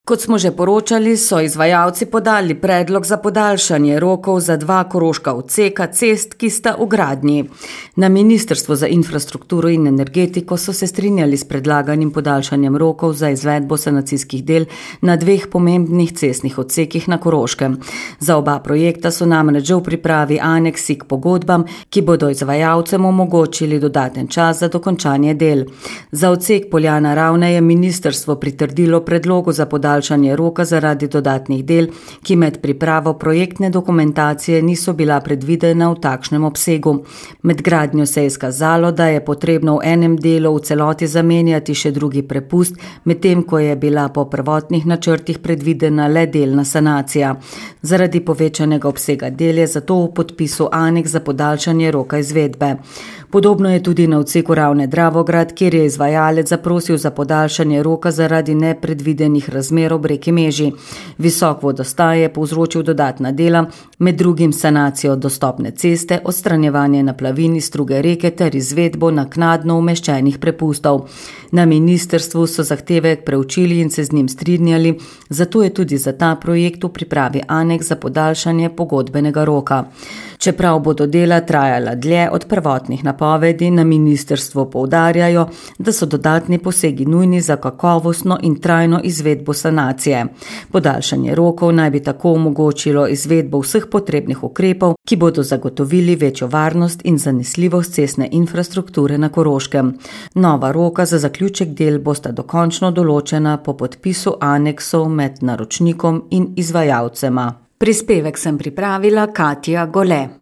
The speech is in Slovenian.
Kot smo že poročali, so izvajalci podali predlog za podaljšanje rokov za 2 koroška odseka cest, ki sta v gradnji. Na Ministrstvu za infrastrukturo in energetiko so se strinjali s predlaganim podaljšanjem rokov za izvedbo sanacijskih del na 2 pomembnih cestnih odsekih na Koroškem. Za oba projekta so namreč že v pripravi aneksi k pogodbam, ki bodo izvajalcem omogočili dodaten čas za dokončanje del. Za odsek Poljana-Ravne je ministrstvo pritrdilo predlogu za podaljšanje roka zaradi dodatnih del, ki med pripravo projektne dokumentacije niso bila predvidena v takšnem obsegu. Med gradnjo se je izkazalo, da je potrebno v enem delu v celoti zamenjati še drugi prepust, medtem ko je bila po prvotnih načrtih predvidena le delna sanacija. Zaradi povečanega obsega del je zato v podpisu aneks za podaljšanje roka izvedbe. Podobno je tudi na odseku Ravne-Dravograd, kjer je izvajalec zaprosil za podaljšanje roka zaradi nepredvidenih razmer ob reki Meži. Visok vodostaj je povzročil dodatna dela, med drugim sanacijo dostopne ceste, odstranjevanje naplavin iz struge reke ter izvedbo naknadno umeščenih prepustov. Na ministrstvu so zahtevek preučili in se z njim strinjali, zato je tudi za ta projekt v pripravi aneks za podaljšanje pogodbenega roka. Čeprav bodo dela trajala dlje od prvotnih napovedi, na ministrstvu poudarjajo, da so dodatni posegi nujni za kakovostno in trajno izvedbo sanacije. Podaljšanje rokov naj bi tako omogočilo izvedbo vseh potrebnih ukrepov, ki bodo zagotovili večjo varnost in zanesljivost cestne infrastrukture na Koroškem. Nova roka za zaključek del bosta dokončno določena po podpisu aneksov med naročnikom in izvajalcema. Prispevek sem pripravila Katja Gole.